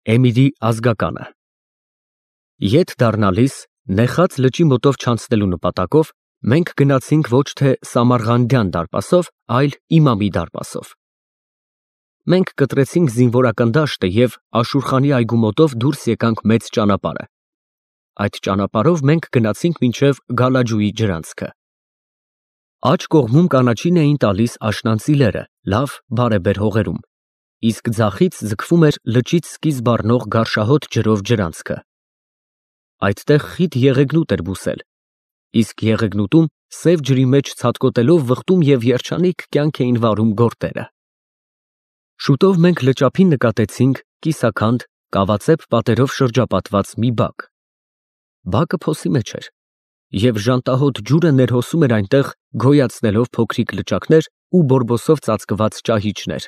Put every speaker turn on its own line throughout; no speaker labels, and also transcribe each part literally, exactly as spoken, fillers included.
Էմիրի ազգականը։ Ետ դառնալիս, նեխած լճի մոտով չանցնելու նպատակով, մենք գնացինք ոչ թե Սամարղանդյան դարպասով, այլ Իմամի դարպասով։ Մենք կտրեցինք զինվորական դաշտը և Աշուրխանի այգու մոտով դուրս եկանք մեծ ճանապարհը։ Այդ ճանապարհով մենք գնացինք մինչև Գալաջուի ջրանցքը։ Աջ կողմում կանաչին էին տալիս աշնանցի լերը, լավ բարեբեր հողերում, իսկ ձախից ձգվում էր լճից սկիզբ առնող գարշահոտ ջրով ջրանցքը։ Այդտեղ խիտ եղեգնուտ էր բուսել, իսկ եղեգնուտում սև ջրի մեջ ցատկոտելով վխտում և երջանիկ կյանք էին վարում գորտերը։ Շուտով մենք լճափին նկատեցինք կիսաքանդ, կավածեպ պատերով շրջապատված մի բակ։ Բակը փոսի մեջ էր, և ժանտահոտ ջուրը ներհոսում էր այնտեղ, գոյացնելով փոքրիկ լճակներ ու բորբոսով ծածկված ճահիճներ։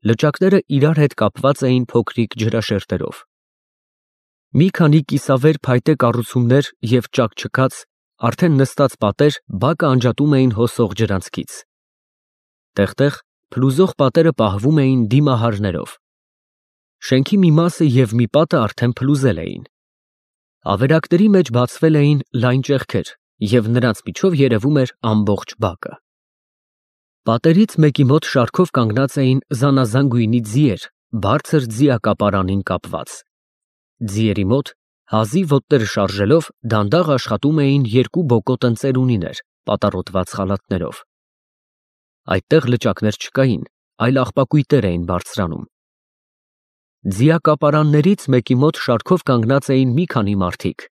Լճակները իրար հետ կապված էին փոքրիկ ջրաշերտերով։ Մի քանի կիսավեր փայտե կառուցումներ և ճաքճքած, արդեն նստած պատեր բակը անջատում էին հոսող ջրանցքից։ Տեղ֊տեղ փլուզող պատերը պահվում էին դիմահարներով։ Շենքի մի մասը և մի պատը արդեն փլուզել էին։ Ավերակների մեջ բացվել էին լայն ճեղքեր, և նրանց միջով երևում էր ամբողջ բակը։ Պատերից մեկի մոտ շարքով կանգնած էին զանազան գույնի ձիեր, բարձր ձիակապարանին կապված։ Ձիերի մոտ, հազիվ ոտները շարժելով, դանդաղ աշխատում էին երկու բոկոտ ընձեռունիներ, պատառոտված խալաթներով։ Այդտեղ լճակներ չկային, այլ աղբակույտեր էին բարձրանում։ Ձիակապարաններից մեկի մոտ շարքով կանգնած էին մի քանի մարդիկ։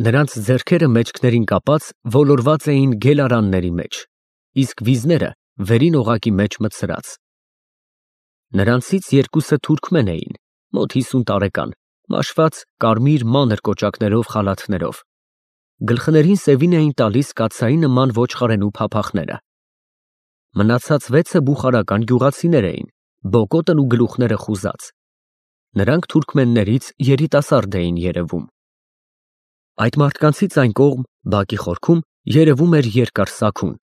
Նրանց ձեռքերը մեջքներին կապած ոլորված էին գելարանների մեջ, իսկ վիզները վերին օղակի մեջ մտցրած։ Նրանցից երկուսը թուրքմեն էին, մոտ հիսուն տարեկան, մաշված կարմիր մանր կոճակներով խալաթներով։ Գլխներին սևին էին տալիս կաթսայի նման ոչխարենու փափախները։ Մնացած վեցը բուխարական գյուղացիներ էին, բոկոտն ու գլուխները խուզած։ Նրանք թուրքմեններից երիտասարդ էին երևում։ Այդ մարդկանցից այն կողմ, բակի խորքում, երևում էր երկար սաքուն,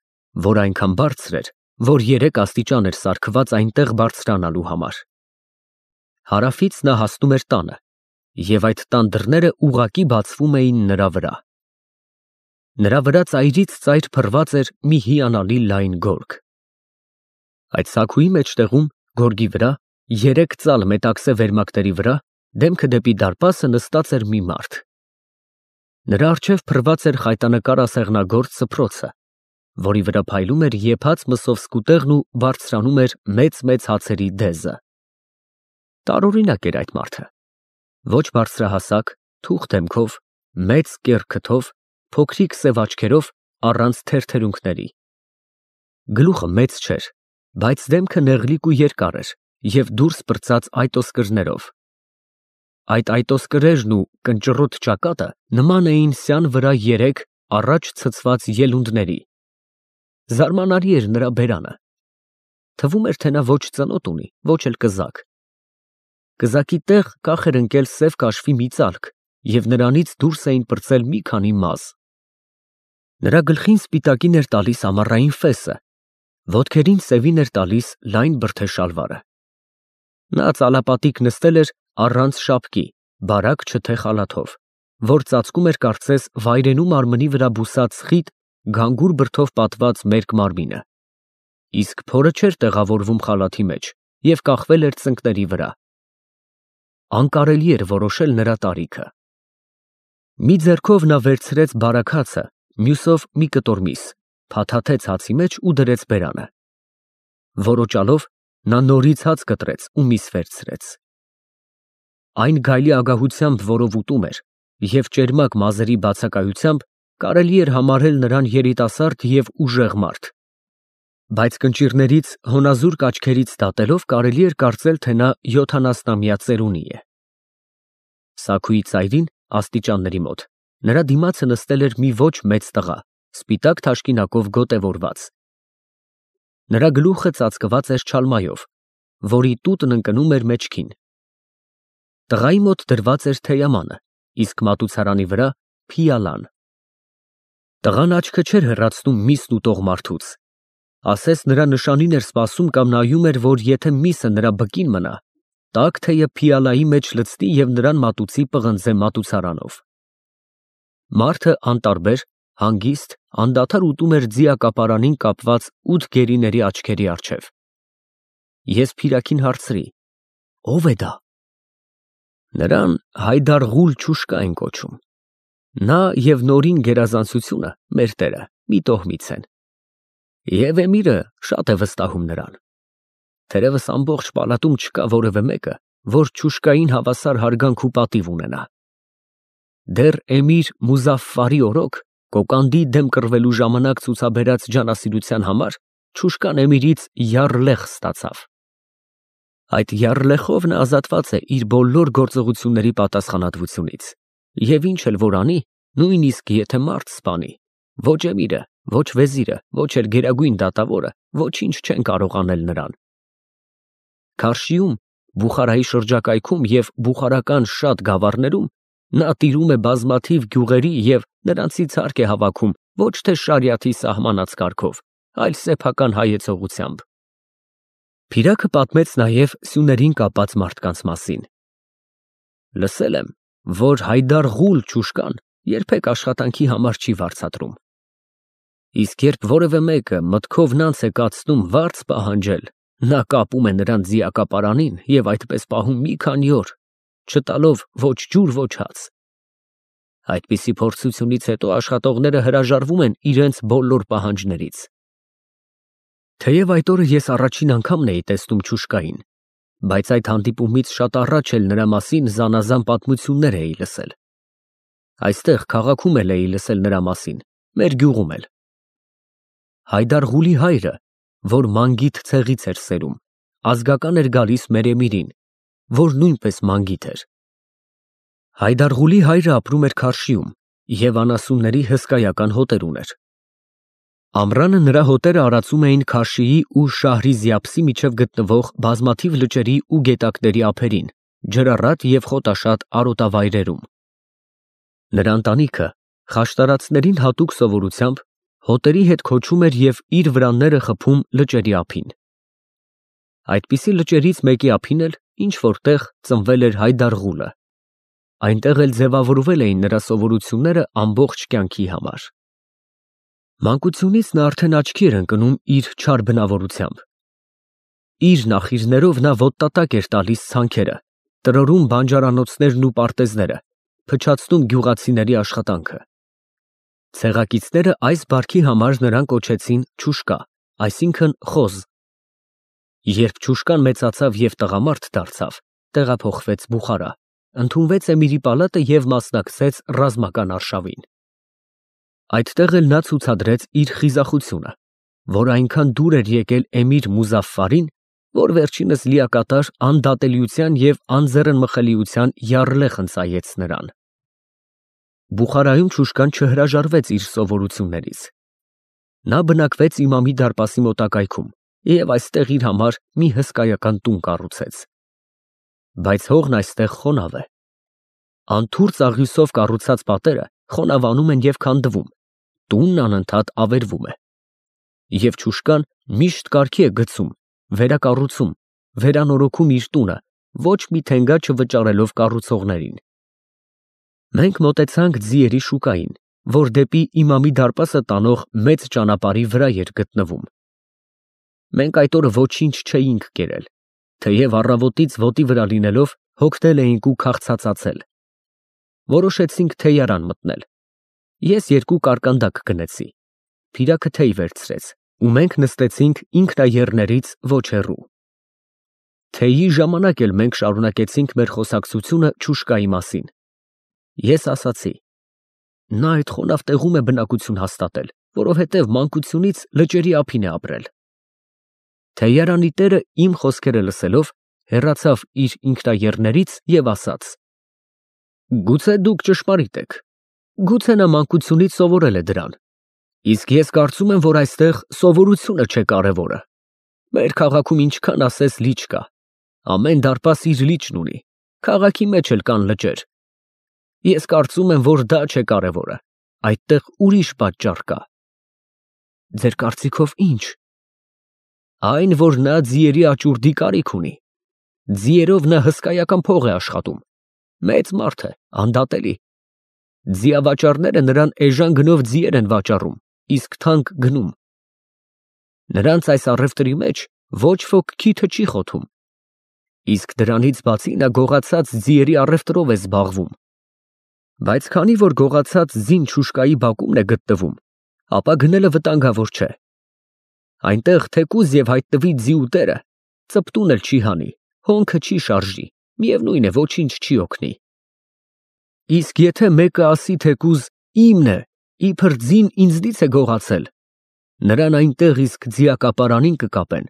որ այնքան բարձր էր, որ երեք աստիճան էր սարքված այնտեղ բարձրանալու համար։ Հարավից նա հասնում էր տանը, և այդ տան դռները ուղղակի բացվում էին նրա վրա։ Նրա վրա ծայրից ծայր փռված էր մի հիանալի լայն գորգ։ Այդ սաքուի մեջտեղում, գորգի վրա, երեք ծալ մետաքսե վերմակների վրա, դեմքը դեպի դարպասը նստած էր մի մարդ։ Նրա առջև փռված էր խայտանկար ասեղնագործ սփռոցը, որի վրա փայլում էր եփած մսով սկուտեղն ու բարձրանում էր մեծ֊մեծ հացերի դեզը։ Տարօրինակ էր այդ մարդը։ Ոչ բարձրահասակ, թուխ դեմքով, մեծ կեռ քթով, փոքրիկ սև աչքերով, առանց թերթերունքների։ Գլուխը մեծ չէր, բայց դեմքը նեղլիկ ու երկար էր և դուրս պրծած այտոսկրներով։ Այդ այտոսկրերն ու կնճռոտ ճակատը նման էին սյան վրա երեք առաջ ցցված ելունդների։ Զարմանալի էր նրա բերանը։ Թվում էր, թե նա ոչ ծնոտ ունի, ոչ էլ կզակ։ Կզակի տեղ կախ էր ընկել սև կաշվի մի ծալք, և նրանից դուրս էին պրծել մի քանի մազ։ Նրա գլխին սպիտակին էր տալիս ամառային ֆեսը, ոտքերին սևին էր տալիս լայն բրդե շալվարը։ Նա ծալապատիկ նստել էր առանց շապկի, բարակ չթե խալաթով, որ ծածկում էր կարծես վայրենու մարմնի վրա բուսած խիտ, գանգուր բրդով պատված մերկ մարմինը, իսկ փորը չէր տեղավորվում խալաթի մեջ և կախվել էր ծնկների վրա։ Անկարելի էր որոշել նրա տարիքը։ Մի ձեռքով նա վերցրեց բարակ հացը, մյուսով մի կտոր միս, փաթաթեց հացի մեջ ու դրեց բերանը։ Որոճալով նա նորից հաց կտրեց ու միս վերցրեց։ Այն գայլի ագահությամբ, որով ուտում էր, և ճերմակ մազերի բացակայությամբ կարելի էր համարել նրան երիտասարդ և ուժեղ մարդ, բայց կնճիռներից, հոնազուրկ աչքերից դատելով կարելի էր կարծել, թե նա յոթանասնամյա ծերունի է։ Սաքուի ծայրին, աստիճանների մոտ, նրա դիմացը նստել էր մի ոչ մեծ տղա, սպիտակ թաշկինակով գոտևորված։ Նրա գլուխը ծածկված էր չալմայով, որի տուտն ընկնում էր մեջքին։ Տղայի մոտ դրված էր թեյամանը, իսկ մատուցարանի վրա փիալան։ Տղան աչքը չէր հեռացնում միսն ուտող մարդուց, ասես նրա նշանին էր սպասում կամ նայում էր, որ եթե միսը նրա բկին մնա, տաք թեյը փիալայի մեջ լցնի և նրան մատուցի պղնձե մատուցարանով։ Մարդը անտարբեր, հանգիստ, անդադար ուտում էր ձիակապարանին կապված ութ գերիների աչքերի առջև։ Ես փիրաքին հարցրի. ո՞վ է դա։ Նրան Հայդար֊Ղուլ Չուշկա են կոչում։ Նա և նորին գերազանցությունը, մեր տերը, մի տոհմից են։ Եվ էմիրը շատ է վստահում նրան։ Թերևս ամբողջ պալատում չկա որևէ մեկը, որ Չուշկային հավասար հարգանք ու պատիվ ունենա։ Դեռ էմիր Մուզաֆֆարի օրոք կոկանդի դեմ կռվելու ժամանակ ցուցաբերած ջանասիրության համար Չուշկան էմիրից յառլեղ ստացավ։ Այդ յառլեխով նա ազատված է իր բոլոր գործողությունների պատասխանատվությունից, և ինչ էլ որ անի, նույնիսկ եթե մարդ սպանի, ոչ էմիրը, ոչ վեզիրը, ոչ էլ գերագույն դատավորը ոչինչ չեն կարող անել նրան։ Քարշիում, Բուխարայի շրջակայքում և բուխարական շատ գավառներում նա տիրում է բազմաթիվ գյուղերի և նրանցից հարկ է հավաքում ոչ թե շարիաթի սահմանած կարգով, այլ սեփական հայեցողությամբ։ Փիրակը պատմեց նաև սյուներին կապած մարդկանց մասին։ Լսել եմ, որ Հայդար֊Ղուլ Չուշկան երբեք աշխատանքի համար չի վարձատրում։ Իսկ երբ որևէ մեկը մտքով նանց է կացնում վարձ պահանջել, նա կապում է նրան ձիակապարանին և այդպես պահում մի քանի օր, չտալով ոչ ջուր, ոչ հաց։ Այդպիսի փորձությունից հետո աշխատողները հրաժարվում են իրենց բոլոր պահանջներից։ Թեև այդ օրը ես առաջին անգամն էի տեսնում Չուշկային, բայց այդ հանդիպումից շատ առաջ էլ նրա մասին զանազան պատմություններ էի լսել։ Այստեղ քաղաքում էլ էի լսել նրա մասին, մեր գյուղում էլ։ Հայդար֊Ղուլի հայրը, որ Մանգիթ ցեղից էր սերում, ազգական էր գալիս մեր էմիրին, որ նույնպես Մանգիթ էր։ Հայդար֊Ղուլի հայրը ապրում էր Քարշիում և անասունների հսկայական հոտեր ուներ։ Ամռանը նրա հոտերը արածում էին Քարշիի ու Շահրիզյաբսի միջև գտնվող բազմաթիվ լճերի ու գետակների ափերին, ջրառատ և խոտաշատ արոտավայրերում։ Նրա ընտանիքը խաշտարածներին հատուկ սովորությամբ հոտերի հետ քոչում էր և իր վրանները խփում լճերի ափին։ Այդպիսի լճերից մեկի ափին էլ ինչ որտեղ ծնվել էր Հայդար֊Ղուլը։ Այնտեղ էլ ձևավորվել էին նրա սովորությունները ամբողջ կյանքի համար։ Մանկությունից նա արդեն աչքի էր ընկնում իր չար բնավորությամբ։ Իր նախիրներով նա ոտնատակ էր տալիս ցանքերը, տրորում բանջարանոցներն ու պարտեզները, փչացնում գյուղացիների աշխատանքը։ Ցեղակիցները այս բարքի համար նրան կոչեցին Չուշկա, այսինքն խոզ։ Երբ Չուշկան մեծացավ և տղամարդ դարձավ, տեղափոխվեց Բուխարա, ընդունվեց էմիրի պալատը և մասնակցեց ռազմական արշավին։ Այդտեղ էլ նա ցուցադրեց իր խիզախությունը, որ այնքան դուր էր եկել էմիր Մուզաֆֆարին, որ վերջինս լիակատար անդատելիության և անձեռնմխելիության յառլեղ ընծայեց նրան։ Բուխարայում Չուշկան չհրաժարվեց իր սովորություններից։ Նա բնակվեց իմամի դարպասի մոտակայքում և այստեղ իր համար մի հսկայական տուն կառուցեց։ Բայց հողն այստեղ խոնավ է։ Անթուրք աղյուսով կառուցած պատերը խոնավանում են և քանդվում, տունն անընդհատ ավերվում է։ Եվ Չուշկան միշտ կարգի է գցում, վերակառուցում, վերանորոգում իր տունը, ոչ մի թենգա չվճարելով կառուցողներին։ Մենք մոտեցանք ձիերի շուկային, որ դեպի իմամի դարպասը տանող մեծ ճանապարհի վրա էր գտնվում։ Մենք այդ օրը ոչինչ չէինք կերել, թեև առավոտից ոտի վրա լինելով հոգնել էինք ու քաղցածացել։ Որոշեցինք թեյարան մտնել։ Ես երկու կարկանդակ գնեցի, Փիրակը թեյ վերցրեց, ու մենք նստեցինք ինքնաեռներից ոչ հեռու։ Թեյի ժամանակ էլ մենք շարունակեցինք մեր խոսակցությունը Չուշկայի մասին։ Ես ասացի. նա այդ խոնավ տեղում է բնակություն հաստատել, որովհետև մանկությունից լճերի ափին է ապրել։ Թեյարանի տերը իմ խոսքերը լսելով հեռացավ իր ինքնաեռներից և ասաց. գուցե դուք ճշմարիտ եք, գուցե նա մանկությունից սովորել է դրան, իսկ ես կարծում եմ, որ այստեղ սովորությունը չէ կարևորը։ Մեր քաղաքում ինչքան ասես լիճ կա, ամեն դարպաս իր լիճն ունի, քաղաքի մեջ էլ կան լճեր։ Ես կարծում եմ, որ դա չէ կարևորը, այդտեղ ուրիշ պատճառ կա։ Ձեր կարծիքով ի՞նչ։ Այն, որ նա ձիերի աճուրդի կարիք ունի։ Ձիերով նա հսկայական փող է աշխատում։ Մեծ մարդ է, անդատելի։ Ձիավաճառները նրան էժան գնով ձիեր են վաճառում, իսկ թանկ գնում։ Նրանց այս առևտրի մեջ ոչ ոք քիթը չի խոթում։ Իսկ դրանից բացի նա գողացած ձիերի առևտրով է զբաղվում։ Բայց քանի որ գողացած ձին չուշկայի բակումն է գտնվում, ապա գնելը վտանգավոր չէ։ Այնտեղ թեկուզ և հայտնվի ձիուտերը, ծպտուն էլ չի հանի, հոնքը չի շարժի, միևնույն է, ոչինչ չի օգնի։ Իսկ եթե մեկը ասի թեկուզ իմն է, իբր ձին ինձնից է գողացել, նրան այնտեղ իսկ ձիակապարանին կկապեն,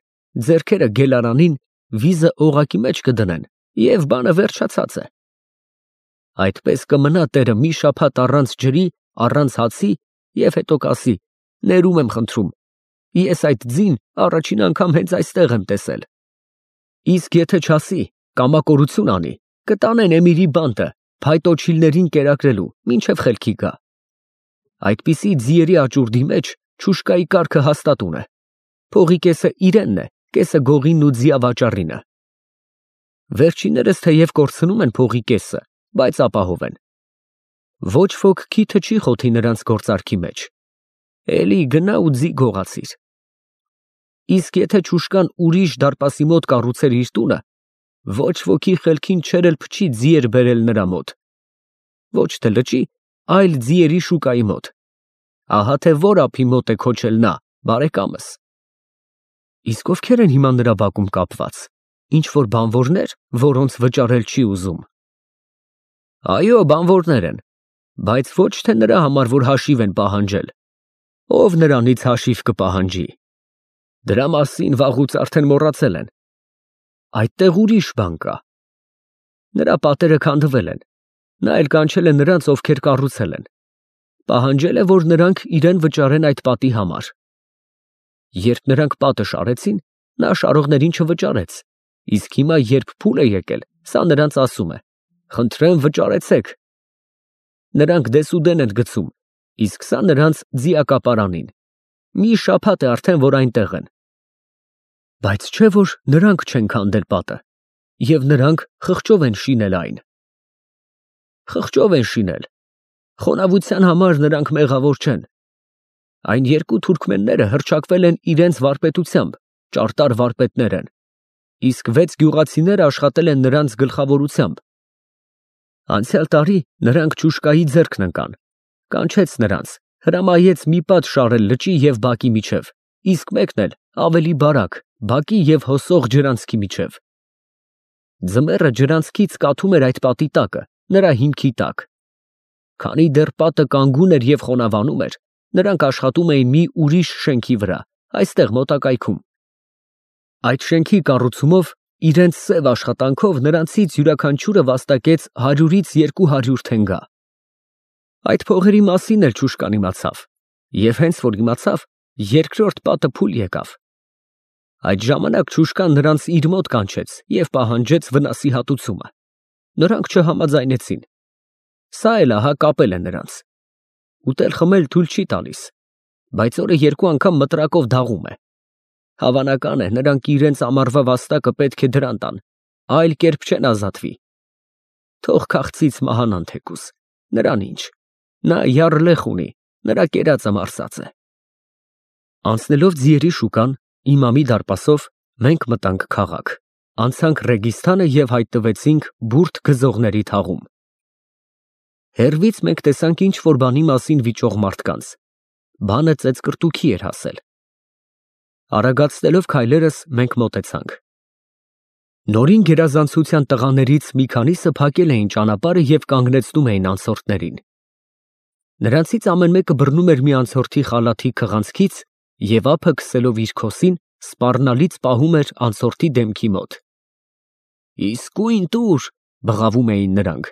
ձեռքերը գելարանին, վիզը օղակի մեջ կդնեն և բանը վերջացած է։ Այդպես կմնա տերը մի շաբաթ առանց ջրի, առանց հացի և հետո կասի. ներում եմ խնդրում, ես այդ ձին առաջին անգամ հենց այստեղ եմ տեսել։ Իսկ եթե չասի, կամակորություն անի, կտանեն էմիրի բանտը, փայտոջիլներին կերակրելու, մինչև խելքի գա։ Այդպիսի ձիերի աճուրդի մեջ չուշկայի կարգը հաստատուն է։ Փողի կեսը իրենն է, կեսը գողինն ու ձիավաճառինը։ Վերջիններս թեև կորցնում են փողի կեսը, բայց ապահով են։ Ոչ ոք քիթը չի խոթի նրանց գործարքի մեջ։ Էլի գնա ու ձի գողացիր։ Իսկ եթե չուշկան ուրիշ դարպասի մոտ կառուցեր իր տունը, ոչ ոքի խելքին չէր էլ փչի ձիեր բերել նրա մոտ։ Ոչ թե լճի, այլ ձիերի շուկայի մոտ։ Ահա թե որ ափի մոտ է քոչել նա, բարեկամս։ Իսկ ովքեր են հիմա նրա բակում կապված, ինչ որ բանվորներ, որոնց վճարել չի ուզում։ Այո, բանվորներ են, բայց ոչ թե նրա համար, որ հաշիվ են պահանջել։ Ով նրանից հաշիվ կպահանջի։ Դրա մասին վաղուց արդեն մոռացել են։ Այդտեղ ուրիշ բան կա։ Նրա պատերը քանդվել են, նա էլ կանչել է նրանց, ովքեր կառուցել են։ Պահանջել է, որ նրանք իրեն վճարեն այդ պատի համար։ Երբ նրանք պատը շարեցին, նա շարողներին չվճարեց, իսկ հիմա երբ փուլ է եկել, սա նրանց ասում է. խնդրեմ վճարեցեք։ Նրանք դեսուդեն են գցում, իսկ սա նրանց ձիակապարանին։ Մի շաբաթ է արդեն, որ այնտեղ են։ Բայց չէ որ նրանք չեն քանդել պատը, և նրանք խղճով են շինել այն։ Խղճով են շինել։ Խոնավության համար նրանք մեղավոր չեն։ Այն երկու թուրքմենները հռչակվել են իրենց վարպետությամբ, ճարտար վարպետներ են, իսկ վեց գյուղացիները աշխատել են նրանց գլխավորությամբ։ Անցյալ տարի նրանք չուշկայի ձեռքն ընկան, կանչեց նրանց, հրամայեց մի պատ շարել լճի և բակի միջև, իսկ մեկն էլ ավելի բարակ, բակի և հոսող ջրանցքի միջև։ Ձմեռը ջրանցքից կաթում էր այդ պատի տակը, նրա հիմքի տակ։ Քանի դեռ պատը կանգուն էր և խոնավանում էր, նրանք աշխատում էին մի ուրիշ շենքի վրա, այստեղ մոտակայքում։ Այդ շենքի կառուցումով, իրենց սև աշխատանքով նրանցից յուրաքանչյուրը վաստակեց հարյուրից երկու հարյուր թենգա։ Այդ փողերի մասին էլ չուշկան իմացավ, և հենց որ իմացավ, երկրորդ պատը փուլ եկավ։ Այդ ժամանակ չուշկան նրանց իր մոտ կանչեց և պահանջեց վնասի հատուցումը։ Նրանք չհամաձայնեցին։ Սա էլ ահա կապել է նրանց։ Ուտել խմել թույլ չի տալիս, բայց օրը երկու անգամ մտրակով դաղում է։ Հավանական է, նրանք իրենց ամառվա վաստակը պետք է դրան տան, այլ կերպ չեն ազատվի։ Թող քաղցից մահանան թեկուզ, նրան ինչ, նա յառլեղ ունի, նրա կերածը մարսած է։ Անցնելով ձիերի շուկան, իմամի դարպասով, մենք մտանք քաղաք, անցանք Ռեգիստանը և հայտնվեցինք բուրդ գզողների թաղում։ Հեռվից մենք տեսանք ինչ-որ բանի մասին վիճող մարդկանց։ Բանը ծեծկռտուքի էր հասել։ Արագացնելով քայլերս մենք մոտեցանք։ Նորին գերազանցության տղաներից մի քանիսը փակել էին ճանապարհը և կանգնեցնում էին անցորդներին։ Նրանցից ամեն մեկը բռնում էր մի անցորդի խալաթի քղանցքից և ափը քսելով իր քոսին, սպառնալից պահում էր անցորդի դեմքի մոտ։ Իսկույն տուր, բղավում էին նրանք։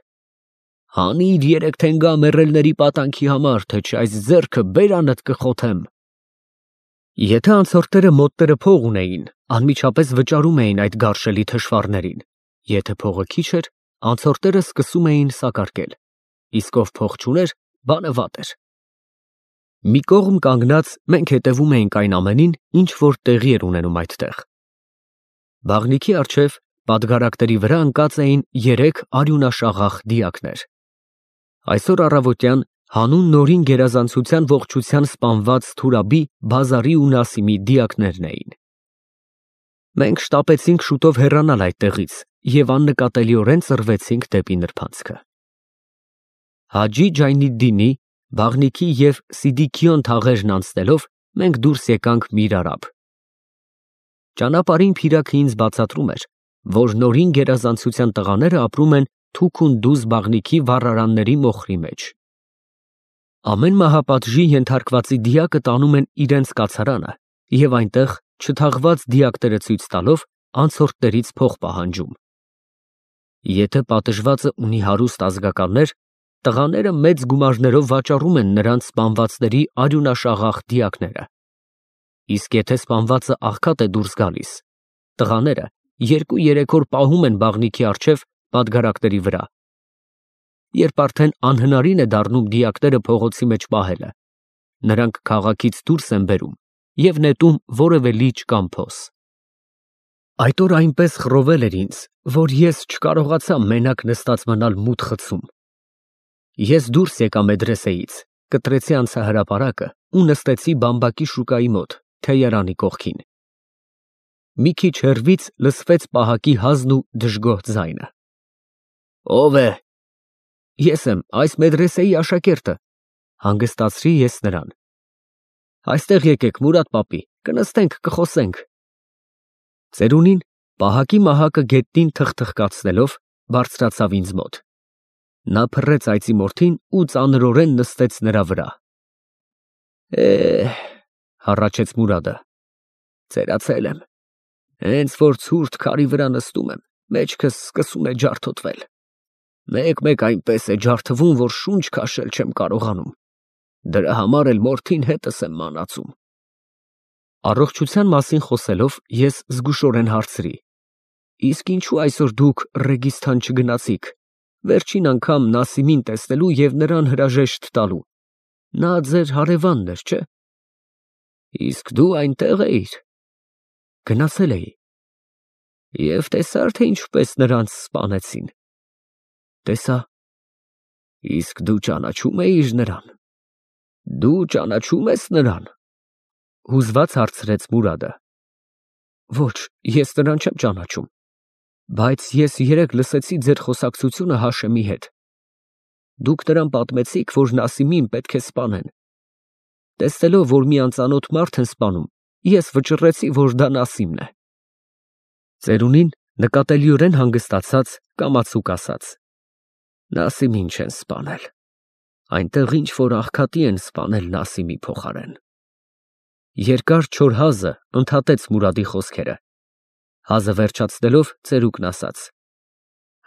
Հանիր երեք թենգա մեռելների պատանքի համար, թե չէ այս ձեռքը բերանդ կխոթեմ։ Եթե անցորդները մոտները փող ունեին, անմիջապես վճարում էին այդ գարշելի թշվառներին, եթե փողը քիչ էր, անցորդները սկսում էին սակարկել, իսկ ով փող չուներ, բանը վատ էր։ Մի կողմ կանգնած մենք հետևում էինք այն ամենին, ինչ որ տեղի էր ունենում այդտեղ։ Բաղնիքի առջև, Պատգարակների վրա ընկած էին երեք արյունաշաղախ դիակներ։ Այսօր առավոտյան հանուն նորին գերազանցության ողջության սպանված Թուրաբի, Բազարի ու Նասիմի դիակներն էին։ Մենք շտապեցինք շուտով հեռանալ այդտեղից և աննկատելիորեն ծռվեցինք դեպի նրբանցքը։ Հաջի Ջայնիդդինի, Բաղնիքի և Սիդիքիոն թաղերն անցնելով մենք դուրս եկանք Միր Արաբ։ Ճանապարհին Փիրագը ինձ բացատրում էր, որ նորին գերազանցության տղաները ապրում են թուք-ու-դուզ Բաղնիքի վառարանների մոխրի մեջ։ Ամեն մահապատժի ենթարկվածի դիակը տանում են իրենց կացարանը և այնտեղ չթաղված դիակները ցույց տալով անցորդներից փող պահանջում։ Եթե պատժվածը ունի հարուստ ազգականներ, տղաները մեծ գումարներով վաճառում են նրանց սպանվածների արյունաշաղախ դիակները։ Իսկ եթե սպանվածը աղքատ է դուրս գալիս, տղաները երկու-երեք օր պահում են Բաղնիքի առջև պատգարակների վրա։ Երբ արդեն անհնարին է դառնում դիակները փողոցի մեջ պահելը, նրանք քաղաքից դուրս են բերում և նետում որևէ լիճ կամ փոս։ Այդ օր այնպես խռովել էր ինձ, որ ես չկարողացա մենակ նստած մնալ մութ խցում։ Ես դուրս եկա մեդրեսեից, կտրեցի անցահրապարակը ու նստեցի բամբակի շուկայի մոտ, թեյարանի կողքին։ Մի քիչ հեռվից լսվեց պահակի հազն ու դժգոհ ձայնը։ Ո՞վ է։ Ես եմ, այս մեդրեսեի աշակերտը, հանգստացրի ես նրան։ Այստեղ եկեք, Մուրադ պապի, կնստենք, կխոսենք։ Ծերունին, պահակի մահակը գետնին թխթխկացնելով, բարձրացավ ինձ մոտ։ Նա փռեց այծի մորթին ու ծանրորեն նստեց նրա վրա։ Է, հառաչեց Մուրադը, ծերացել եմ։ Հենց որ ցուրտ քարի վրա նստում եմ, մեջքս սկսում է ջարդոտվել։ Մեկ-մեկ այնպես է ջարդվում, որ շունչ քաշել չեմ կարողանում։ Դրա համար էլ մորթին հետս եմ մանածում։ Առողջության մասին խոսելով ես զգուշորեն հարցրի. Իսկ ինչու այսօր դուք Ռեգիստան չգնացիք, վերջին անգամ Նասիմին տեսնելու և նրան հրաժեշտ տալու։ Նա ձեր հարևանն էր, չէ՞։ Իսկ դու այնտեղ էիր։ Գնացել էի։ Եվ տեսա՞ր, թե ինչպես նրանց սպանեցին։ Տեսա։ Իսկ դու ճանաչում էիր նրան։ Դու ճանաչում ես նրան։ Հուզված հարցրեց Մուրադը։ Ոչ, ես նրան չեմ ճանաչում, բայց ես երեկ լսեցի ձեր խոսակցությունը Հաշեմի հետ։ Դուք նրան պատմեցիք, որ Նասիմին պետք է սպանեն։ Տեսնելով, որ մի անծանոթ մարդ են սպանում, ես վճռեցի, որ դա Նասիմն է։ Ծերունին նկատելիորեն հանգստացած կամացուկ ասաց. Նասիմին չեն սպանել։ Այնտեղ ինչ որ աղքատի են սպանել Նասիմի փոխարեն։ Երկար չոր հազը ընդհատեց Մուրադի խոսքերը։ Հազը վերջացնելով ծերուկն ասաց.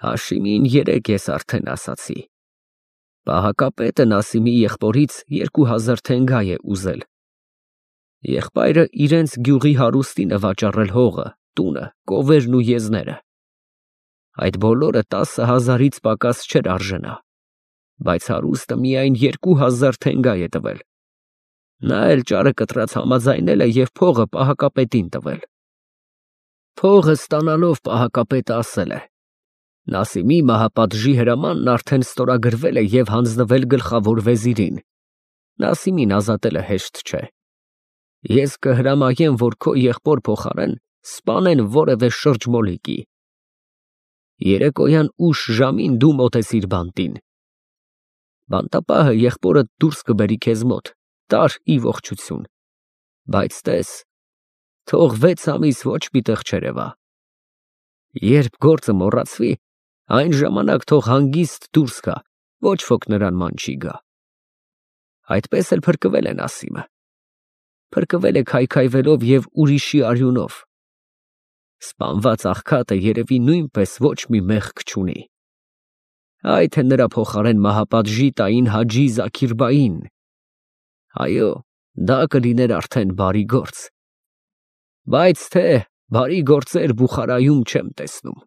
Հաշիմին երեկ ես արդեն ասացի։ Պահակապետը Նասիմի եղբորից երկու հազար թենգա է ուզել։ Եղբայրը իրենց գյուղի հարուստին է վաճառել հողը, տունը, կովերն ու եզները։ Այդ բոլորը տասը հազարից պակաս չէր արժենա, բայց հարուստը միայն երկու հազար թենգա է տվել։ Նա էլ ճարը կտրած համաձայնել է և փողը պահակապետին տվել։ Փողը ստանալով պահակապետը ասել է. Նասիմի մահապատժի հրամանն արդեն ստորագրվել է և հանձնվել գլխավոր վեզիրին։ Նասիմին ազատելը հեշտ չէ։ Ես կհրամայեմ, որ քո եղբոր փոխարեն սպանեն որևէ շրջմոլիկի։ Երեկոյան ուշ ժամին դու մոտեցիր բանտին։ Բանտապահը եղբորդ դուրս կբերի քեզ մոտ, տար ի ողջություն, բայց տես, թող վեց ամիս ոչ մի տեղ չերևա։ Երբ գործը մոռացվի, այն ժամանակ թող հանգիստ դուրս գա, ոչ ոք նրան ման չի գա։ Այդպես էլ փրկվել է Նասիմը։ Փրկվել է քայքայվելով և ուրիշի արյունով։ Սպանված աղքատը երևի նույնպես ոչ մի մեղք չունի։ Այ թե նրա փոխարեն մահապատժի տային Հաջի Զաքիրբային։ Այո, դա կլիներ արդեն բարի գործ։ Բայց թե բարի գործեր Բուխարայում չեմ տեսնում։